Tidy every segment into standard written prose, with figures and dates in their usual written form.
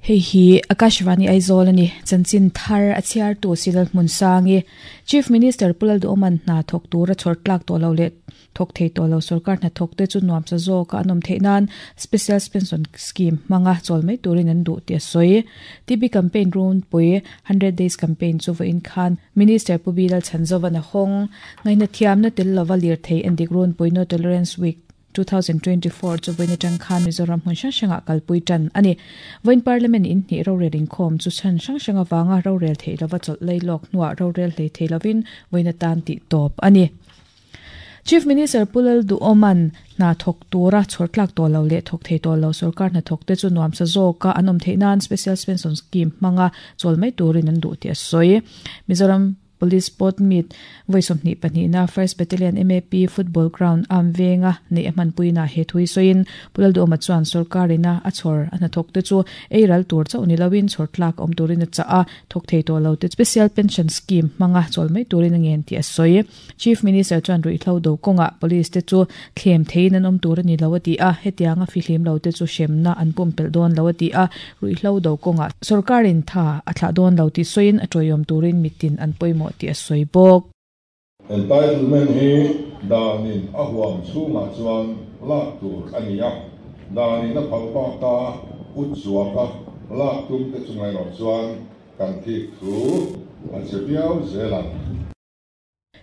Hei hi Akashvani Aizawl a ni. Chanchin thar a chhiartu Silal Hmunsangi, Chief Minister Pu Lalduhawman hna thawk tura chhawr tlak tawh lo leh thawk thei tawh lo sorkar hnathawk te chu nuamsa zawka an awm theih nan Special Pension Scheme hmanga chawl mai turin an duh tih a sawi. TB Campaign runpui Hundred Days Campaign chu vawiin khan Minister Pu Bilal Chhanzovan a hawng. Ngaihnathiamna tel lova lirthei endik runpui No Tolerance Week 2024 chu vawiin atang khan Mizoram hmun hrang hrangah kalpui tan a ni. Vawiin Parliament in hnih rorel inkhawm chu chhan hrang hrang avanga rorel theih lova chawlh lei lawk hnuah rorel hlei thei lovin vawiin atan tih tawp a ni. Chief Minister Pu Lalduhawman hna thawk tura chhawr tlak tawh lo leh thawk thei tawh lo sorkar hnathawk te chu nuamsa zawka an awm theih nan Special Pension Scheme hmanga chawl mai turin an duh tih a sawi. Mizoram Police Sport Meet vawi 22 na First Battalion MAP Football Ground am venga neih a hmanpuina he thui sawiin Pu Lalduhawma chuan sorkarina a chhawr a hnathawk te chu ei ral tur chauh ni loin chhawr tlak awm turin a chah a, thawk thei tawh lo te Special Pension Scheme hmanga chawl mai turin a ngen tih a sawi. Chief Minister chuan ruihhlo do kawngah Police te chu thlem theiin an awm tur a ni lo a ti a, hetianga fihlim lo te chu hremna an pumpelh dawn lo a ti a, ruihhlo do kawngah sorkarin tha a thlah dawn lo tih sawiin a tawiawm turin mitin an pawimawh tih a sawi bawk. Entitlement hi danin a huam chhungah chuan lak tur a ni a, danin a phal baka ut zuaka lak tum te chunga erawh chuan kan thik thu a che viau zel ang.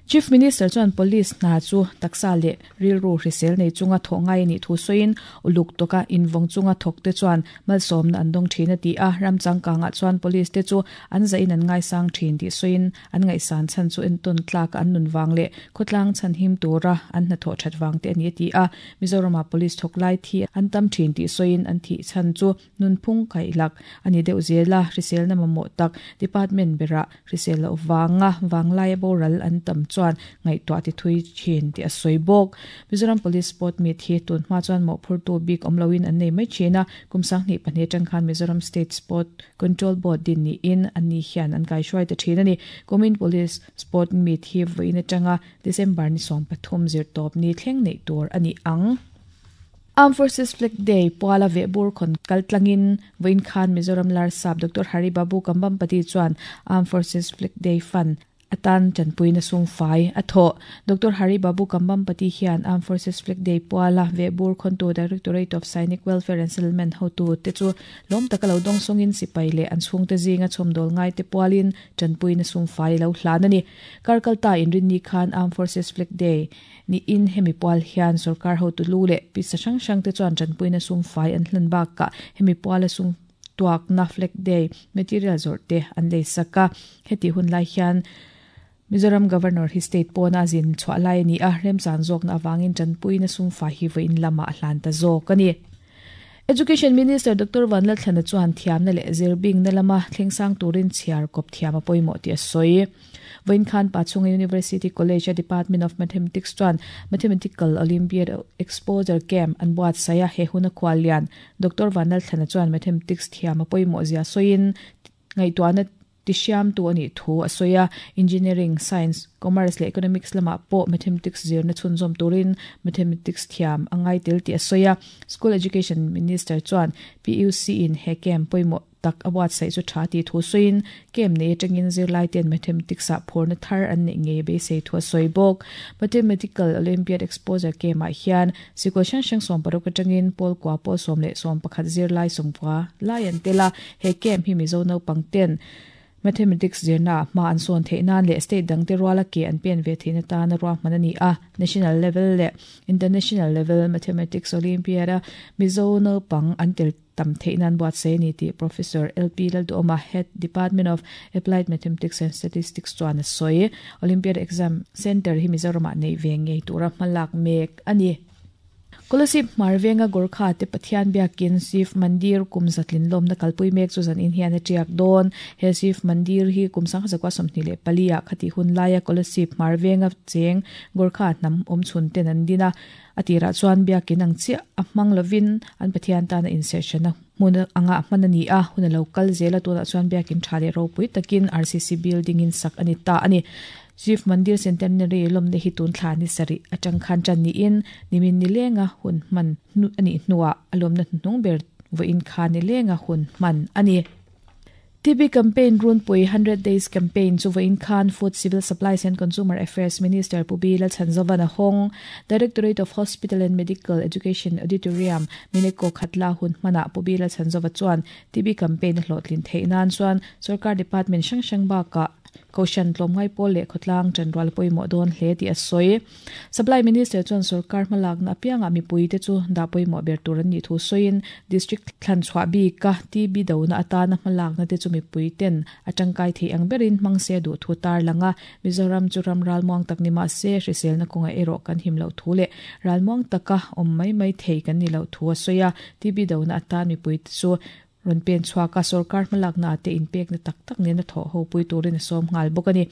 Chief Minister chuan Police hna chu taksa leh rilru hrisel nei chunga thawh ngai a nih thu sawiin uluk tawka invawng chunga thawk te chuan malsawmna an dawng thin a ti a, ram changkangah chuan Police te chu an zahin an ngaisang thin tih sawiin an ngaihsan chhan chu entawn tlaka an nun vang leh khawtlang chhan him tura an hnathawh that vang te a ni a ti a, Mizoramah Police thawk lai thi an tam thin tih sawiin an thih chhan chu nunphung kaihlak a ni deuh zel a, hriselna mamawh tak department berah Hrisel loh vanga vanglaia boral an tam chuan ngaihtuah ti thui thin tih a sawi bawk. Mizoram Police Sport Meet hi tun hma chuan mawhphurtu bik awm loin an nei mai thin a, kum 2002 atang khan Mizoram State Sport Control Board din niin an ni hian an kaihruai ta thin a ni. Kumin Police Sport Meet hi vawiin atanga December ni 13 zirtawp ni thleng neih tur a ni ang. Armed Forces Flag Day puala vehbur khawn kal tlangin vawiin khan Mizoram Larsap Doctor Hari Babu Kambhampati chuan Armed Forces Flag Day Fund atan tanpuina sumfai a thawh. Doctor Hari Babu Kambhampati hian Armed Forces Flag Day puala vehbur khawntu Directorate of Sainik Welfare and Settlement hotu te chu lawm taka lo dawng sawngin sipai leh an chhungte zinga chhawmdawl ngaite pualin tanpuina sumfai lo hlan a ni. Kar kalta inrinni khan Armed Forces Flag Day Niin hemi pual hian sorkar hotu lu leh pisa hrang hrang te chuan tanpuina sum fai an hlan bakah hemi puala sum tuakna Flag Day material zawrh te an lei sak a. Heti hun lai hian Mizoram Governor hi state pawna a zin chhuah lai a ni a, remchan zawkna avangin tanpuina sum fai hi vawiin lamah a hlan ta zawk a ni. Education Minister Doctor Vanlalthlana chuan thiamna leh zirbingna lama thlengsang turin chhiar kawp thiam a pawimawh tih a sawi. Vawiin khan Pachhunga University College-a Department of Mathematics chuan Mathematical Olympiad Exposure Camp an buatsaih a, he huna khuallian Doctor Vanlalthlana chuan Mathematics thiam a pawimawh zia sawiin ngaihtuahna Tihriamtu a nih thu a sawi a, Engineering, Science, Commerce leh Economics lamah pawh Mathematics zirna chhunzawm turin Mathematics thiam a ngai tel tih a sawi a. School Education Minister chuan PUC-in he camp pawimawh tak a buatsaih chu tha tih thu sawiin, camp nei atangin zirlaite'n Mathematics-ah phurna thar an neih ngei beisei thu a sawi bawk. Mathematical Olympiad Exposure Camp-ah hian Sikul hrang hrang 60 atangin pawl kua pawl 11 zirlai 90 lai an tel a, He camp hi Mizo naupang ten Mathematics zirna ah hma an sawn theih nan leh state dangte ruala ke an pen ve theihna tana ruahman a ni a. National level leh International level Mathematics Olympiad a Mizo naupang an tel tam theih nan buatsaih a ni tih Professor LP Lalduhawma, Head, Department of Applied Mathematics and Statistics chuan a sawi. Olympiad exam centre hi Mizoramah neih ve ngei tura hmalak mek a ni. Kolasib hmar venga Gorkha te Pathian biakin Shiv Mandir kum zatlin lawmna kalpui mek chu zanin hian a tiak dawn. He Shiv Mandir hi kum 1924 ah khatih hun laia Kolasib hmar venga cheng Gorkha hnam awm chhun ten an din a. A tirah chuan biakin ang chiah a hmang lovin an Pathian tana inserhhrena hmun anga hman a ni a, hun a lo kal zel a, tunah chuan biakin tha leh ropui takin RCC building in sak a ni ta a ni. Shiv Mandir Centenary lawmna hi tun thla ni sarih atang khan tan niin nimin ni lenga hun hman a nih hnuah a lawmna hnuhnung ber. vawiin khan nilenga hun hman a ni. TB Campaign runpui 100 Days Campaign chu vawiin khan Food, Civil Supplies and Consumer Affairs Minister Pu B Lalchhanzovan a hawng. Directorate of Hospital and Medical Education Auditorium, Mineko Khatla hun hmanah Pu B Lalchhanzova chuan TB Campaign a hlawhtlin theih nan chuan Sorkar Department hrang hrang bakah Kohhran tlawmngai pawl leh khawtlang ṭanrual pawimawh dawn hle tih a sawi. Supply Minister chuan sorkar hmalakna apiangah mipuite chu dah pawimawh ber tur an nih thu sawiin District thlan chhuah bika TB dona atana hmalakna te chu mipuiten a tangkai theih ang berin hmang se duh thu tarlang a. Mizoram chu ram ralmuang tak ni mah se hriselna kawngah erawh kan him loh thu leh ralmuang taka awm mai mai thei kan ni loh thu a sawi a. TB dona atan mipuite chu Rawn pen chhuak a, sorkar hmalakna ah te inpekna tak tak nena thawh ho pui turin a sawm nghal bawk a ni.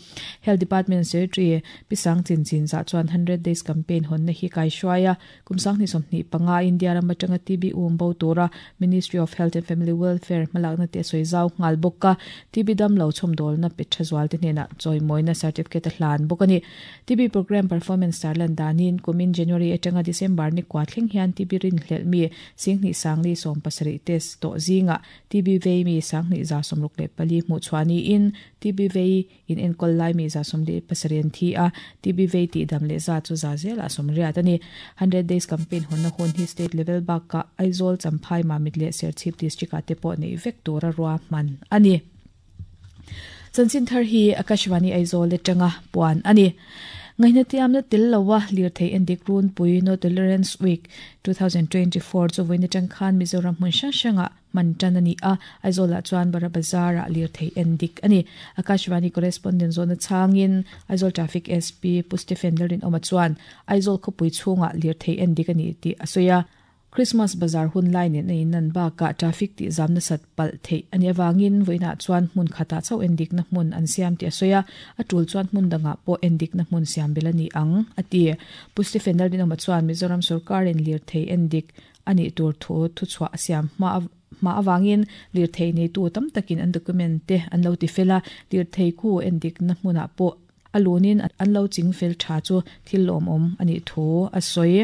Health Department Secretary Pi Sang Chin Chin zah chuan 100 Days Campaign hawnna hi kaihruai a, kum 2025 India ram atanga TB um bo tura Ministry of Health and Family Welfare hmalakna te a sawi zau nghal bawk a, TB damlo chhawmdawlna pe tha zualte hnenah chawimawina certificate a hlan bawk a ni. TB Programme Performance tarlan danin kumin January atanga December ni kua thleng hian TB rinhlelh mi Singhnih Sangli 70 test tawh zingah TB vei mi 10,000 64 hmuh chhuah niin TB vei in enkawl lai mi 17 an thi a, TB vei tihdam leh za chu za zelah 80 a ni. Hundred Days Campaign hawnna hun hi State level bakah Aizawl, Champhai, Mamit leh Serchhip District ah te pawh neih vek tura ruahman a ni. Chanchin thar hi Akashvani Aizawl atanga puan a ni. Ngaihnatiamna tel loa lirthei endik runpui No Tolerance Week 2024 chu vawiin atang khan Mizoram hmun hrang hrangah hman tan a ni a, Aizawlah chuan Bara Bazar-ah lirthei endik a ni. Akashvani correspondent zawhna chhangin Aizawl Traffic SP Pu Stephen Lalrinawma chuan Aizawl khawpui chhungah lirthei endik a ni tih a sawi a. Christmas bazar hun lai nen a inlan bakah traffic tih zam nasat palh theih a nih avangin vawiinah chuan hmun khatah chauh endikna hmun an siam tih a sawi a, a tul chuan hmun dangah pawh endikna hmun siam belh a ni ang, a ti. Pu Stephen Lalrinawma chuan Mizoram sorkarin lirthei endik a nih tur thu thuchhuah a siam hma hma avangin lirthei neitu tam takin an document te an lo ti fel a, lirthei khu endikna hmunah pawh a lunin an lo ching fel tha chu thil lawmawm a nih thu a sawi.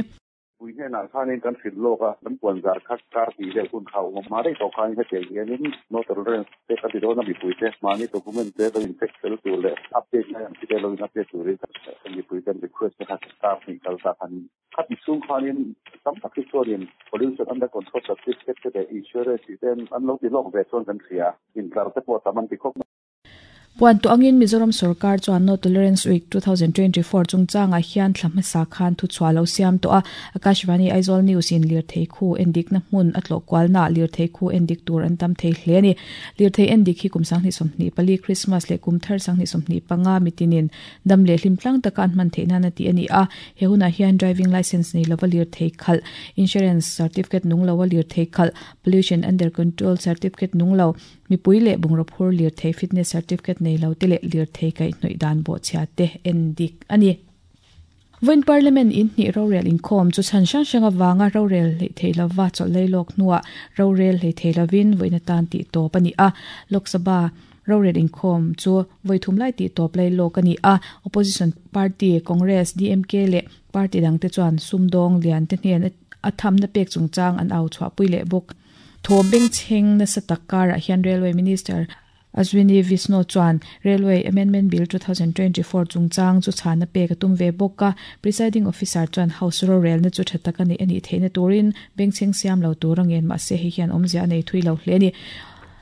Pui hnenah khanin kan hrilh lawk a, kan puan zar kha kar tih vel hun kha a awm a, hma daih tawh khanin hetiang hianin no tolerance te kan ti dawn a, mipuite mahni document te lo in check fel tur leh update ngai ang chi te lo in update turin kan mipui ten request te kha kar hnih kal ta khanin khati chhung khanin tam tak hi chuanin pollution under control certificate te leh insurance tih te an lo ti lawk ve chuan kan hria, intlar te pawh a tam an ti khawp mai. Puan tawh angin Mizoram sorkar chuan No Tolerance Week 2024 chungchangah hian thla hmasa khan thuchhuah lo siam tawh a. Akashvani Aizawl News in lirthei khu endikna hmun a tlawh kualnaah lirthei khu endik tur an tam thei hle a ni. Lirthei endik hi kum 2024 Christmas leh kum thar 2025 mitinin dam leh hlim tlang taka an hman theih nan a tih a ni a. He hunah hian driving licence nei lova lirthei khalh, insurance certificate nung loa lirthei khalh, pollution under control certificate nung lo, Mipui leh bungraw phur lirthei fitness certificate nei lo te leh lirthei kaihhnawih dan bawhchhia te en dik a ni. Vawiin Parliament in hnih rorel inkhawm chu chhan hrang hrang avanga rorel hleih thei lova chawlh lei lawk hnuah rorel hlei thei lovin vawiin atan tih tawp a ni a. Lok Sabha rorel inkhawm chu vawi thum lai tih tawp lei lawk a ni a. Opposition party Congress, DMK leh party dangte chuan sumdawng lian te hnen a thamna pek chungchang an au chhuahpui leh bawk. Thawm bengchheng nasa tak karah hian Railway Minister Ashwini Vishnu chuan Railway Amendment Bill 2024 chungchang chu chhana pek a tum ve bawk a. Presiding Officer chuan House rorelna chu tha taka neih a nih theihna turin bengchheng siam lo tur a ngen mahse hei hian awmzia a nei thui lo hle a ni.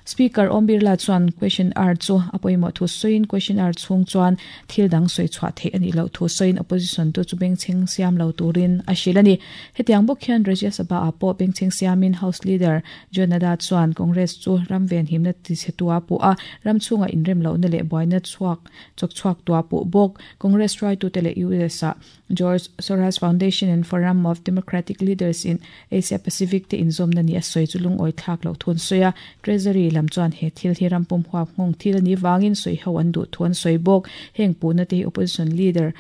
Speaker Om Birla chuan Question Hour chu a pawimawh thu sawiin Question Hour chhung chuan thil dang sawi chhuah theih a nih loh thu sawiin Opposition tu chu bengchheng siam lo turin a hrilh a ni. Hetiang bawk hian Rajya Sabha ah pawh bengchheng siamin House Leader John Nada chuan Congress chu ram venhimna tichhe tua puh a, ram chhungah inrem lohna leh buaina chhuak chawk chhuak tua puh bawk. Congress hruaitute leh US ah George Soros Foundation and Forum of Democratic Leaders in Asia Pacific te inzawmna ni a sawi chu lungawi thlak loh thu an sawi a. Treasury lam chuan he thil hi ram pum huap nghawng thil a nih vangin sawi ho an duh thu an sawi bawk. Heng puhna te hi Opposition Leader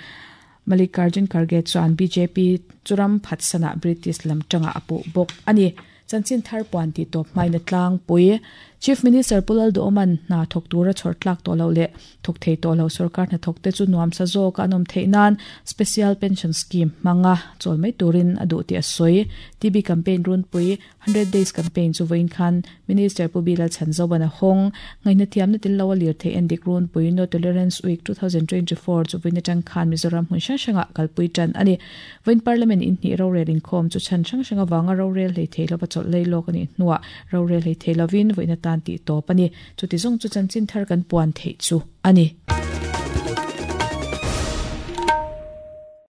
Mallikarjun Kharge chuan bjp chu ram phatsanah British lam tangah a puh bawk a ni. Chanchin thar puan tih tawp hmain a tlangpui. Chief Minister Pu Lalduhoma'n hna thawk tura chhawr tlak tawh loh leh thawk thei tawh lo sorkar hnathawk te chu nuamsa zawka an awm theih nan Special Pension Scheme hmanga chawl mai turin a duh tih a sawi. TB Campaign runpui Hundred Days Campaign chu vawiin khan Minister Pu Bilal Chhanzovan a hawng. Ngaihna thiamna tel lo a lirthei endik runpui No Tolerance Week 2024 chu vawiin atang khan Mizoram hmun hrang hrangah kalpui tan a ni. Vawiin Parliament inhnih rorel inkhawm chu chhan hrang hrang avanga rorel hlei thei lova chawlh lei lawk a nih hnuah rorel hlei thei lovin vawiin atan tih tawp a ni. Chuti zawng chu chanchin thar kan puan theih chu a ni.